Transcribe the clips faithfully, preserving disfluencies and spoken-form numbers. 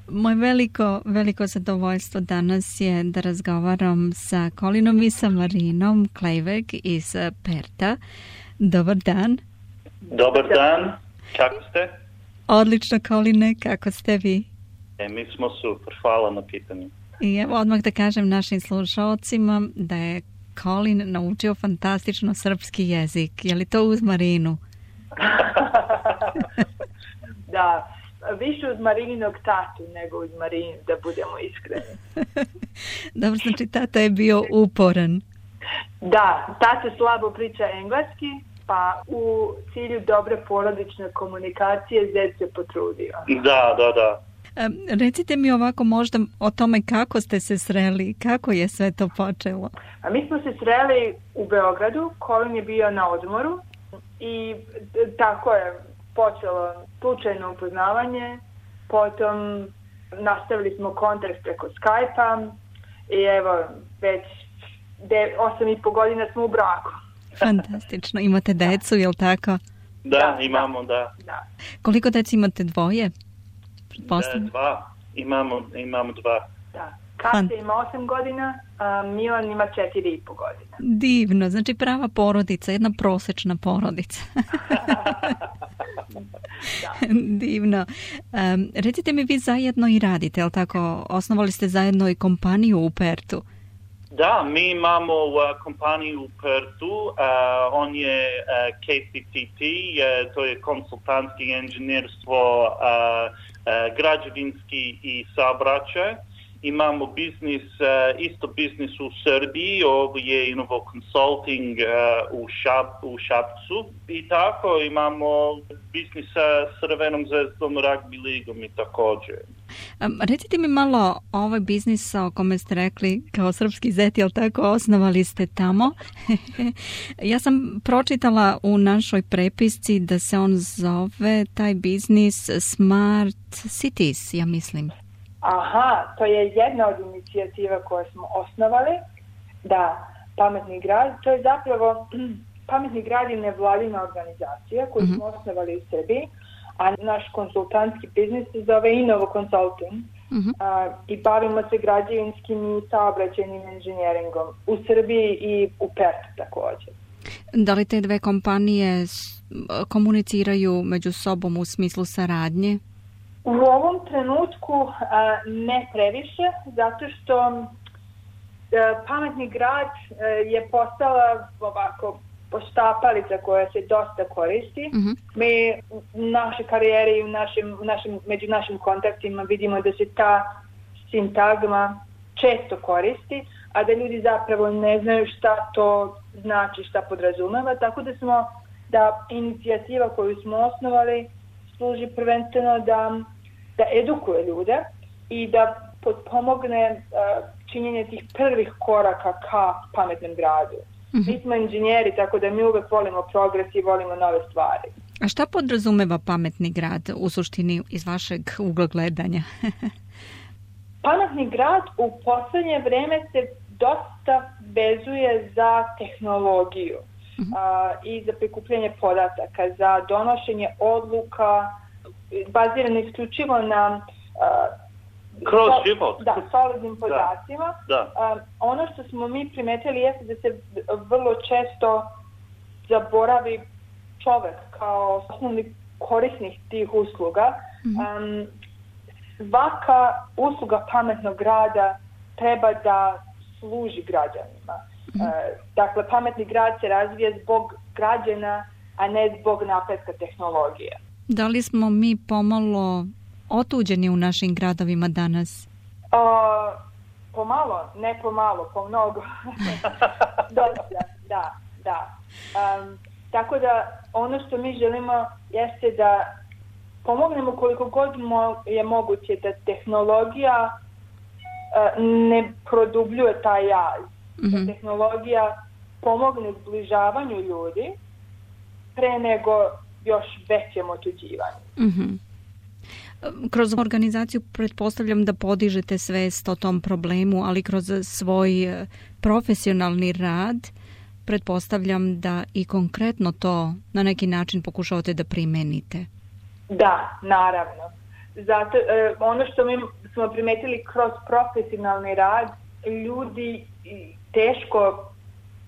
Moje veliko, veliko zadovoljstvo danas je da razgovaram sa Colinom i sa Marinom Klejveg iz Perta. Dobar dan. Dobar dan, kako ste? Odlično, Coline, kako ste vi? E, mi smo super, hvala na pitanju. I evo odmah da kažem našim slušalcima da je Colin naučio fantastično srpski jezik. Je li to uz Marinu? Da, više uz Marininog tatu nego uz Marinu, da budemo iskreni. Dobro, znači tata je bio uporan. Da, tata slabo priča engleski, pa u cilju dobre porodične komunikacije zet se potrudio. Da, da, da. Um, recite mi ovako možda o tome kako ste se sreli, kako je sve to počelo? A mi smo se sreli u Beogradu, Colin je bio na odmoru i tako je počelo slučajno upoznavanje, potom nastavili smo kontakt preko Skype-a i evo već de, osam i po godina smo u braku. Fantastično. Imate decu, je li tako? Da, da imamo, da. da. Koliko deci imate? Dvoje? Da, dva. Imamo, imamo dva. Da. Katja ima osam godina, a Milan ima četiri i po godina. Divno, znači prava porodica, jedna prosečna porodica. Divno. Um, recite mi, vi zajedno i radite, je li tako? Osnovali ste zajedno i kompaniju u Pertu. Da, mi imamo uh, kompaniju u Pertu, uh, on je uh, K C T T, uh, to je konsultantski inženjerstvo, uh, uh, građevinski i saobraćaj. Imamo biznis, uh, isto biznis u Srbiji, ovo je Innovo Consulting uh, u, Šap, u Šapcu i tako imamo biznis sa Crvenom zvezdom, rugby ligom i također. Um, recite mi malo o ovoj biznis o kome ste rekli kao srpski zet, jel tako, osnovali ste tamo. Ja sam pročitala u našoj prepisci da se on zove, taj biznis, Smart Cities, ja mislim. Aha, to je jedna od inicijativa koje smo osnovali, da, Pametni grad, to je zapravo, Pametni grad je nevladina organizacija koju smo mm-hmm. osnovali u Srbiji, a naš konsultantski biznis se zove Innovo Consulting mm-hmm. a, i bavimo se građevinskim i saobraćajnim inženjeringom u Srbiji i u Pertu također. Da li te dve kompanije komuniciraju među sobom u smislu saradnje? U ovom trenutku a, ne previše, zato što a, Pametni grad a, je postala ovako poštapalica koja se dosta koristi. Mm-hmm. Mi u našoj karijeri i u našim, našim, među našim kontaktima vidimo da se ta sintagma često koristi, a da ljudi zapravo ne znaju šta to znači, šta podrazumeva, tako da smo, da inicijativa koju smo osnovali služi prvenstveno da, da edukuje ljude i da pomogne uh, činjenje tih prvih koraka ka pametnom gradu. Mm-hmm. Mi smo inženjeri, tako da mi uvek volimo progres i volimo nove stvari. A šta podrazumeva pametni grad u suštini iz vašeg ugla gledanja? Pametni grad u poslednje vreme se dosta vezuje za tehnologiju mm-hmm. a, i za prikupljanje podataka, za donošenje odluka bazirano isključivo na a, kroz život. Da, solidnim podacima. Da, da. Um, ono što smo mi primetili jeste da se vrlo često zaboravi čovek kao osnovni korisnik tih usluga. Mm-hmm. Um, svaka usluga pametnog grada treba da služi građanima. Mm-hmm. Uh, dakle, pametni grad se razvija zbog građana, a ne zbog napretka tehnologije. Da li smo mi pomalo otuđeni u našim gradovima danas? Uh, pomalo, ne pomalo, pomnogo. Dosta, da, da. Um, tako da ono što mi želimo jeste da pomognemo koliko god mo- je moguće da tehnologija uh, ne produbljuje taj jaz. Mm-hmm. Da tehnologija pomogne zbližavanju ljudi pre nego još većem otuđivanju. Mhm. Kroz organizaciju pretpostavljam da podižete svest o tom problemu, ali kroz svoj profesionalni rad pretpostavljam da i konkretno to na neki način pokušavate da primenite. Da, naravno. zato, e, ono što mi smo primetili kroz profesionalni rad, ljudi teško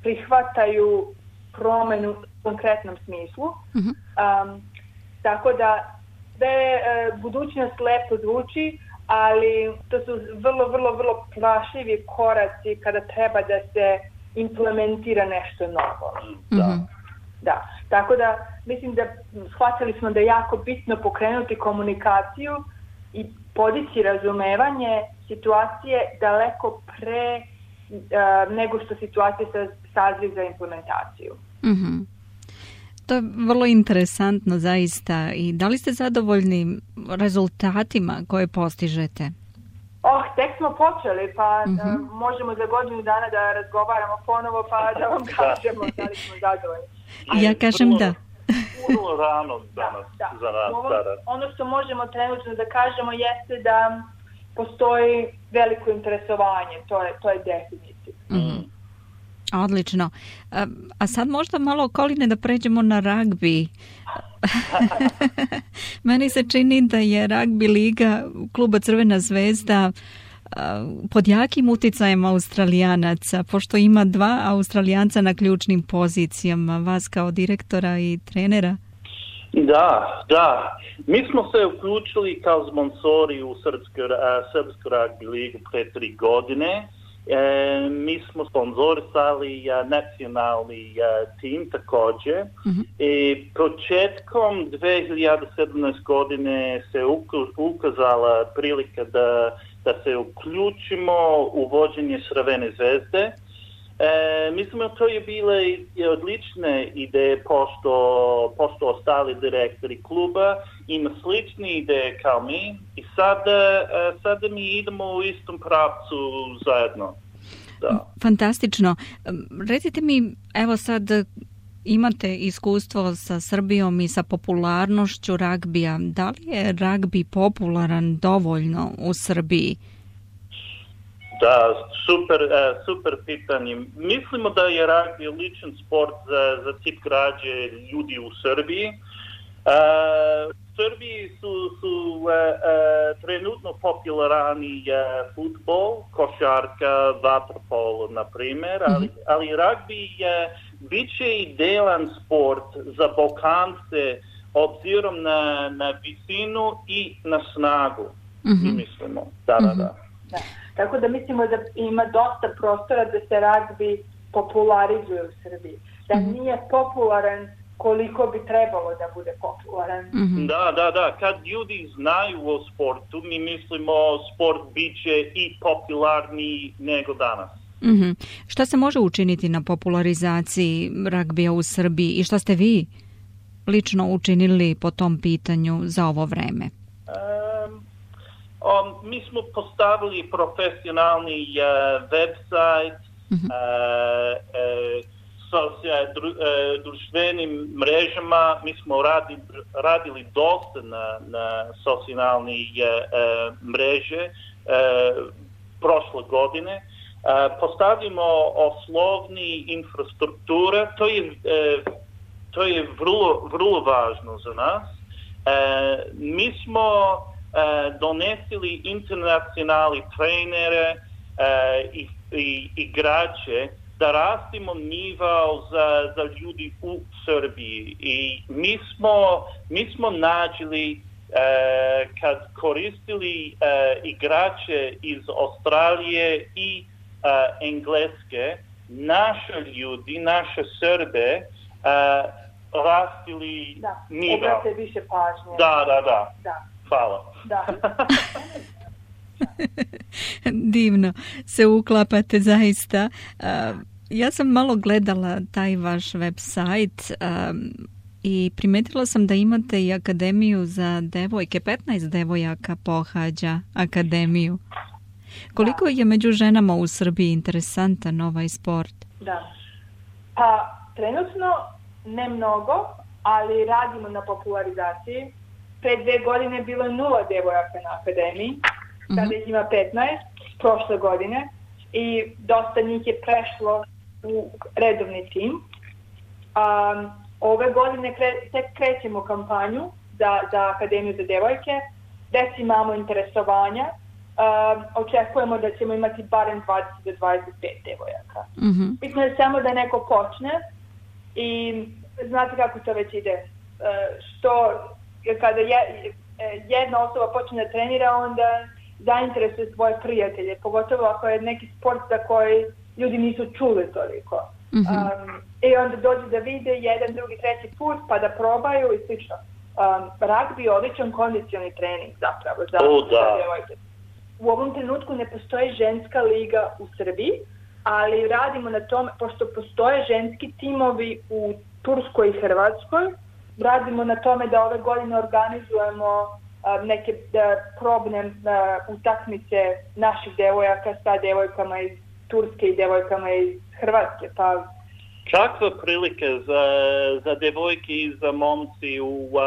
prihvataju promenu u konkretnom smislu. Uh-huh. Um, tako da sve e, budućnost lepo zvuči, ali to su vrlo, vrlo, vrlo plašivi koraci kada treba da se implementira nešto novo. Da. Mm-hmm. Da. Tako da mislim da shvatili smo da je jako bitno pokrenuti komunikaciju i podići razumevanje situacije daleko pre uh, nego što situacija sazri za implementaciju. Mm-hmm. To je vrlo interesantno zaista. I da li ste zadovoljni rezultatima koje postižete? Oh, tek smo počeli, pa mm-hmm. uh, možemo za godinu dana da razgovaramo ponovo, pa da vam kažemo da li smo zadovoljni. Ali ja kažem vrlo, da. Vrlo rano danas da, da. za nas. Ovo, da, da. ono što možemo trenutno da kažemo jeste da postoji veliko interesovanje, to je, to je definitivno. Mm. Odlično. A, a sad možda malo, Koline, da pređemo na ragbi. Meni se čini da je ragbi liga kluba Crvena zvezda pod jakim uticajem Australijanaca, pošto ima dva Australijanca na ključnim pozicijama, vas kao direktora i trenera. Da, da. Mi smo se uključili kao sponsori u Srpsku, Srpsku ragbi ligu pre tri godine. E, mi smo sponzorisali a, nacionalni a, tim također. Uh-huh. I početkom dve hiljade sedamnaeste godine se ukazala prilika da, da se uključimo u vođenje Crvene zvezde. E, mislim da to je bile odlične ideje pošto, pošto ostali direktori kluba ima slične ideje kao mi i sada, sada mi idemo u istom pravcu zajedno. Da. Fantastično. Recite mi, evo sad imate iskustvo sa Srbijom i sa popularnošću ragbija. Da li je ragbi popularan dovoljno u Srbiji? Da, super, super pitanje. Mislimo da je ragbi ličan sport za, za tip građe ljudi u Srbiji. Uh, u Srbiji su, su uh, uh, trenutno popularni uh, futbol, košarka, vaterpolo, na primjer, ali, ali ragbi je bit će idealan sport za Balkance obzirom na, na visinu i na snagu. Mm-hmm. Mi mislimo, da, da, da. Da. Tako da mislimo da ima dosta prostora da se ragbi popularizuje u Srbiji. Da nije popularan koliko bi trebalo da bude popularan. Mm-hmm. Da, da, da. Kad ljudi znaju o sportu, mi mislimo sport bit će i popularniji nego danas. Mm-hmm. Šta se može učiniti na popularizaciji ragbija u Srbiji i šta ste vi lično učinili po tom pitanju za ovo vreme? Um, um, mi smo postavili profesionalni uh, website, mm-hmm. uh, uh, sa dru, e, društvenim mrežama. Mi smo radi, radili dosta na, na socijalne e, mreže e, prošle godine. E, postavimo osnovni infrastruktura. To je, e, to je vrlo, vrlo važno za nas. E, mi smo e, donesili internacionalni trenere e, i, i igrače da rastimo nivo za, za ljudi u Srbiji. I mi smo, mi smo nađili e, kad koristili e, igrače iz Australije i e, Engleske, naše ljudi, naše Srbe e, rastili da, nivo. Obrate više pažnje. Da, da, da. da. Hvala. Da. Divno se uklapate zaista. Uh, ja sam malo gledala taj vaš web sajt um, i primetila sam da imate i akademiju za devojke. petnaest devojaka pohađa akademiju. Koliko da. je među ženama u Srbiji interesantan ovaj sport? Da. Pa trenutno ne mnogo, ali radimo na popularizaciji. Pre dve godine bilo je nula devojaka na akademiji. Sada ih ima petnaest, prošle godine, i dosta njih je prešlo u redovni tim. Um, ove godine kre, tek krećemo kampanju za, za Akademiju za devojke već imamo interesovanja. Uh, očekujemo da ćemo imati barem dvadeset do dvadeset pet devojaka. Mm-hmm. Bitno je samo da neko počne i znate kako to već ide. Uh, što kada je, jedna osoba počne da trenira, onda zainteresuje svoje prijatelje, pogotovo ako je neki sport za koji ljudi nisu čuli toliko. Mm-hmm. Um, I onda dođu da vide jedan, drugi, treći put, pa da probaju i slično. Um, ragbi je odličan kondicioni trening zapravo za, oh, da. za djevojke. U ovom trenutku ne postoji ženska liga u Srbiji, ali radimo na tome, pošto postoje ženski timovi u Turskoj i Hrvatskoj, radimo na tome da ove godine organizujemo uh, neke uh, probne uh, utakmice naših devojaka sa devojkama iz Turske i devojkama iz Hrvatske. Pa kakve prilike za, za devojke i za momci u, uh,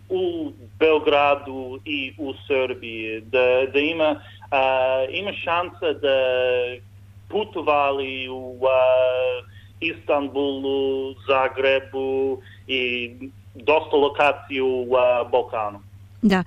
u Beogradu i u Srbiji, da, da ima, uh, ima šansa da putovali u uh, Istanbulu, Zagrebu i dosta lokaciju u uh, Balkanu. Da,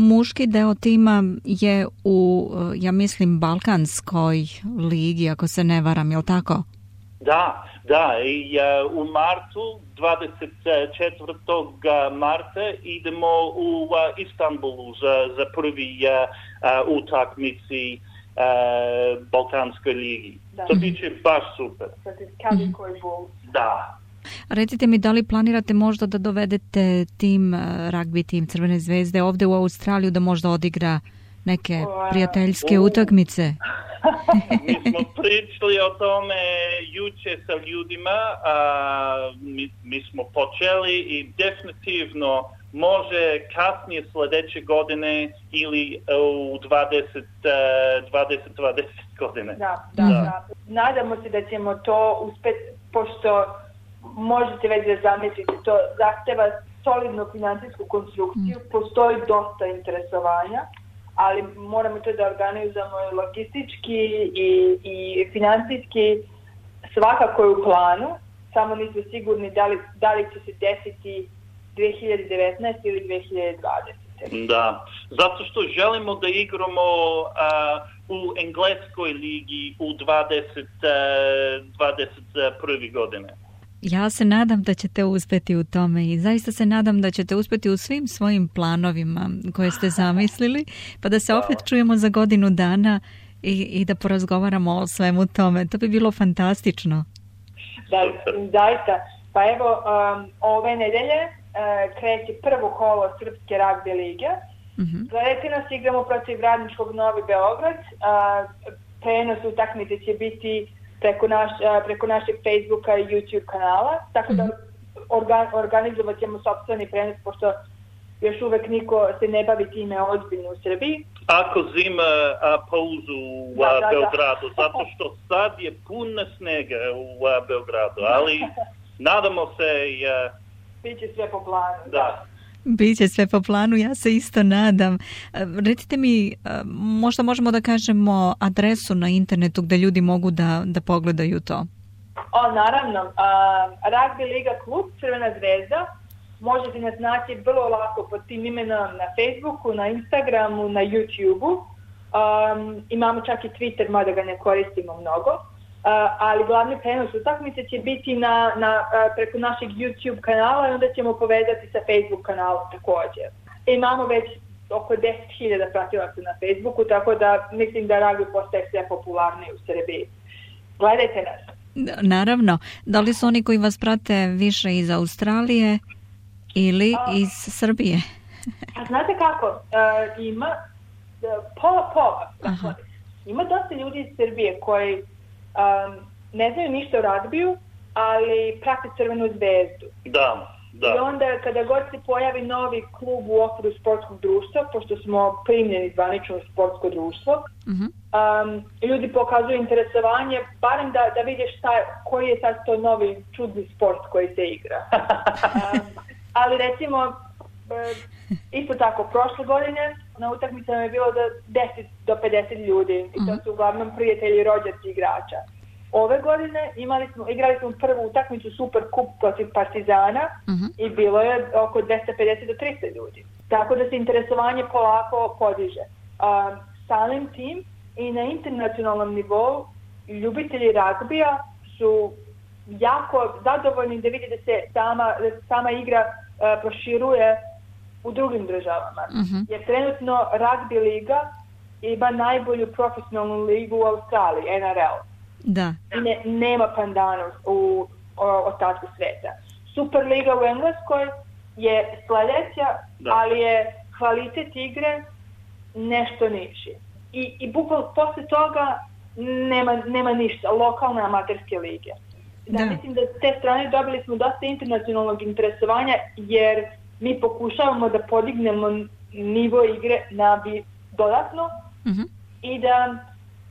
muški deo tima je u, ja mislim, Balkanskoj ligi, ako se ne varam, je li tako? Da, da, i uh, u martu, dvadeset četvrtog marta idemo u uh, Istanbulu za, za prvi uh, uh, utakmici uh, Balkanskoj ligi. Da. To biće baš super. Da. Recite mi, da li planirate možda da dovedete tim, ragbi tim Crvene zvezde ovde u Australiju da možda odigra neke prijateljske uh. utakmice? Mi smo pričali o tome juče sa ljudima, a, mi, mi smo počeli i definitivno može kasnije sljedeće godine ili u dvadeset, dvadeset, dvadeset godine. Da, da, da. da. Nadamo se da ćemo to uspjeti, pošto možete već da zamislite, to zahteva solidnu financijsku konstrukciju, mm. postoji dosta interesovanja, ali moramo to da organizujemo logistički i, i financijski, svakako je u planu, samo nismo sigurni da li, da li će se desiti dvije hiljade devetnaeste ili dvije hiljade dvadesete. Da, zato što želimo da igramo uh, u engleskoj ligi u dvadeset, dvadeset prve godine. Ja se nadam da ćete uspjeti u tome i zaista se nadam da ćete uspjeti u svim svojim planovima koje ste zamislili, pa da se opet čujemo za godinu dana i, i da porazgovaramo o svemu tome. To bi bilo fantastično. Da, zaista. Pa evo, um, ove nedelje uh, kreće prvo kolo Srpske ragbi lige. Mm-hmm. Gledajte nas, igramo protiv Radničkog Novi Beograd. Uh, prenos utakmice će biti preko, naš, preko našeg Facebooka i YouTube kanala, tako da organ, organizovat ćemo sopstveni prenos, pošto još uvek niko se ne bavi time ozbiljno u Srbiji. Ako zima a, pauzu u da, da, Beogradu, da. Zato što sad je puno snega u a, Beogradu, ali nadamo se i... A... Biće sve po planu. Da. da. Biće sve po planu, ja se isto nadam. Recite mi, možda možemo da kažemo adresu na internetu gde ljudi mogu da, da pogledaju to. O, naravno. Uh, Ragbi Liga klub Crvena zvezda. Možete nas naći vrlo lako pod tim imenom na Facebooku, na Instagramu, na YouTubeu. Um, imamo čak i Twitter, mada ga ne koristimo mnogo. Uh, ali glavni prenos utakmice će biti na, na, uh, preko našeg YouTube kanala i onda ćemo povezati sa Facebook kanalom također. I imamo već oko deset hiljada pratilaca na Facebooku, tako da mislim da ragbi postaje sve popularniji u Srbiji. Gledajte nas. Naravno. Da li su oni koji vas prate više iz Australije ili uh, iz Srbije? A znate kako? Uh, ima uh, pola pola. Dakle, ima dosta ljudi iz Srbije koji Um, ne znaju ništa o ragbiju, ali prate Crvenu zvezdu. Da, da. I onda kada god se pojavi novi klub u okviru sportskog društva, pošto smo primljeni zvanično u sportsko društvo, uh-huh. um, ljudi pokazuju interesovanje, barem da, da vide šta, koji je sad to novi čudni sport koji se igra. um, ali recimo, isto tako, prošle godine na utakmicama je bilo do deset do pedeset ljudi i to su uglavnom prijatelji i rođaci igrača. Ove godine imali smo, igrali smo prvu utakmicu Super Kup protiv Partizana uh-huh. i bilo je oko dvesta pedeset do trista ljudi. Tako da se interesovanje polako podiže. Uh, samim tim i na internacionalnom nivou ljubitelji ragbija su jako zadovoljni da vidi da se sama, da se sama igra uh, proširuje u drugim državama. Uh-huh. Jer trenutno ragbi liga ima najbolju profesionalnu ligu u Australiji, N R L. Da. Ne, nema pandana u ostatku sveta. Superliga u Engleskoj je sljedeća, ali je kvalitet igre nešto niži. I, i bukvalno posle toga nema, nema ništa, lokalne amaterske lige. Da, da. Mislim da s te strane dobili smo dosta internacionalnog interesovanja, jer mi pokušavamo da podignemo nivo igre na bi dodatno uh-huh. i da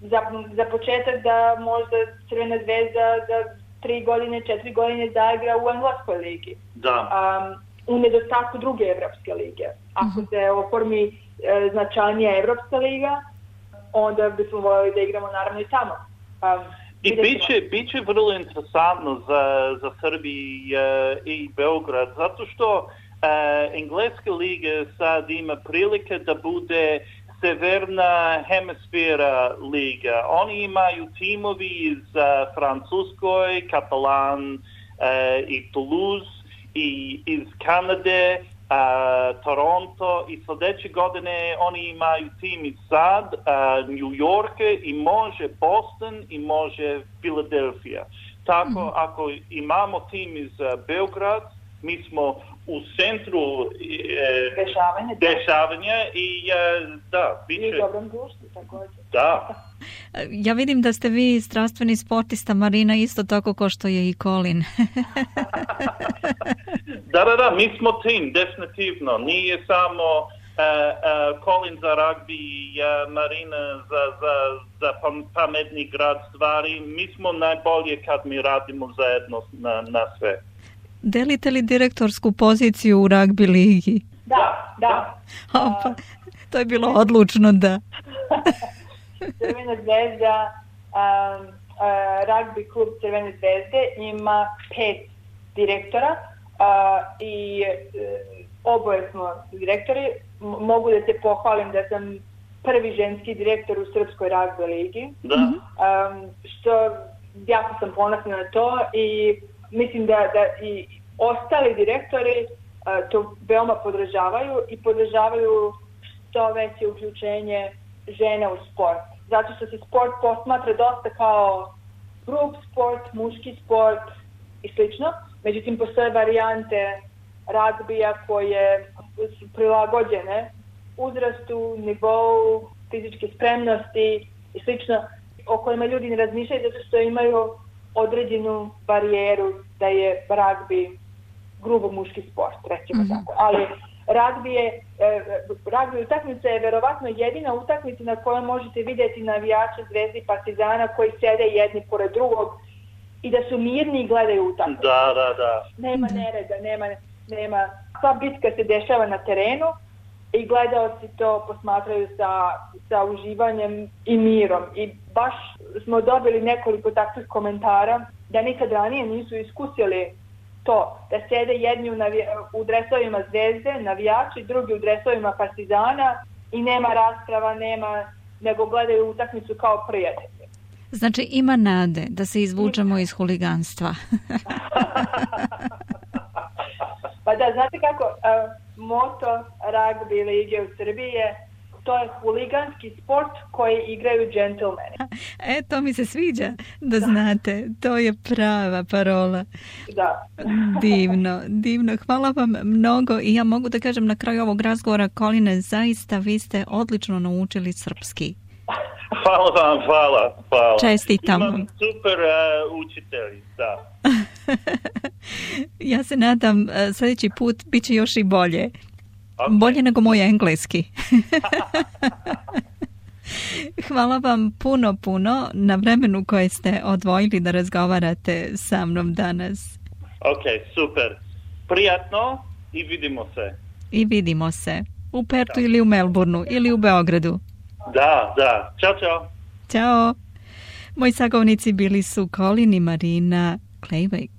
za, za početak da možda Crvena zvezda za tri godine, četiri godine zaigra u Engleskoj ligi. Da. Um, u nedostatku druge evropske lige. Ako uh-huh. se oformi e, značajnija evropska liga, onda bismo voljeli da igramo naravno i tamo. Um, I biće, biće vrlo interesantno za, za Srbiju e, i Beograd, zato što e, Engleska liga sad ima prilike da bude severna hemisfera liga. Oni imaju timovi iz uh, Francuskoj, Katalan uh, i Toulouse, i iz Kanade, uh, Toronto, i sljedeće godine oni imaju tim iz sad, uh, New York, i može Boston, i može Philadelphia. Tako, mm-hmm. ako imamo tim iz uh, Beograd, mi smo u centru e, dešavanja, dešavanja i e, da, biće... I dobrom društvu, također. Da. Ja vidim da ste vi strastveni sportista, Marina, isto tako kao što je i Colin. da, da, da, mi smo tim, definitivno. Nije samo uh, uh, Colin za ragbi i uh, Marina za, za, za pametni grad stvari. Mi smo najbolje kad mi radimo zajedno na, na sve. Delite li direktorsku poziciju u ragbi ligi? Da, da. Opa, to je bilo odlučno, da. Crvena zvezda, um, uh, ragbi klub Crvene zvezde ima pet direktora uh, i uh, oboje smo direktori. M- mogu da se pohvalim da sam prvi ženski direktor u Srpskoj ragbi ligi. Da. Um, što jako sam ponosna na to i mislim da, da i ostali direktori uh, to veoma podržavaju i podržavaju što veće uključenje žena u sport. Zato što se sport posmatra dosta kao grup sport, muški sport i slično. Međutim, postoje varijante ragbija koje su prilagođene uzrastu, nivou, fizičke spremnosti i slično, o kojima ljudi ne razmišljaju zato što imaju određenu barijeru da je ragbi grubo muški sport, recimo mm-hmm. tako. Ali ragbi je, e, ragbi utakmica je verovatno jedina utakmica na kojoj možete vidjeti navijače Zvezde i Partizana koji sede jedni pored drugog i da su mirni i gledaju utakmicu. Da, da, da. Nema nereda, nema, nema. Sva bitka se dešava na terenu i gledaoci to posmatraju sa, sa uživanjem i mirom. I baš smo dobili nekoliko takvih komentara da nikad ranije nisu iskusili to, da sede jedni u, navi- u dresovima Zvezde, navijači, drugi u dresovima Partizana i nema rasprava, nema, nego gledaju utakmicu kao prijatelji. Znači ima nade da se izvučemo iz huliganstva. Pa da, znate kako, uh, moto ragbi lige u Srbiji je to je huliganski sport koji igraju džentlmeni. E, to mi se sviđa da znate. To je prava parola. Da. Divno, divno. Hvala vam mnogo i ja mogu da kažem na kraju ovog razgovora, Coline, zaista vi ste odlično naučili srpski. Hvala vam, hvala, hvala. Čestitam. Imam super uh, učitelji, da. Ja se nadam uh, sljedeći put bit će još i bolje. Okay. Bolje nego moj engleski. Hvala vam puno, puno na vremenu koje ste odvojili da razgovarate sa mnom danas. Ok, super. Prijatno i vidimo se. I vidimo se. U Pertu ili u Melbourneu ili u Beogradu. Da, da. Ćao, čao. Ćao. Moji sagovornici bili su Colin i Marina Kleiweg.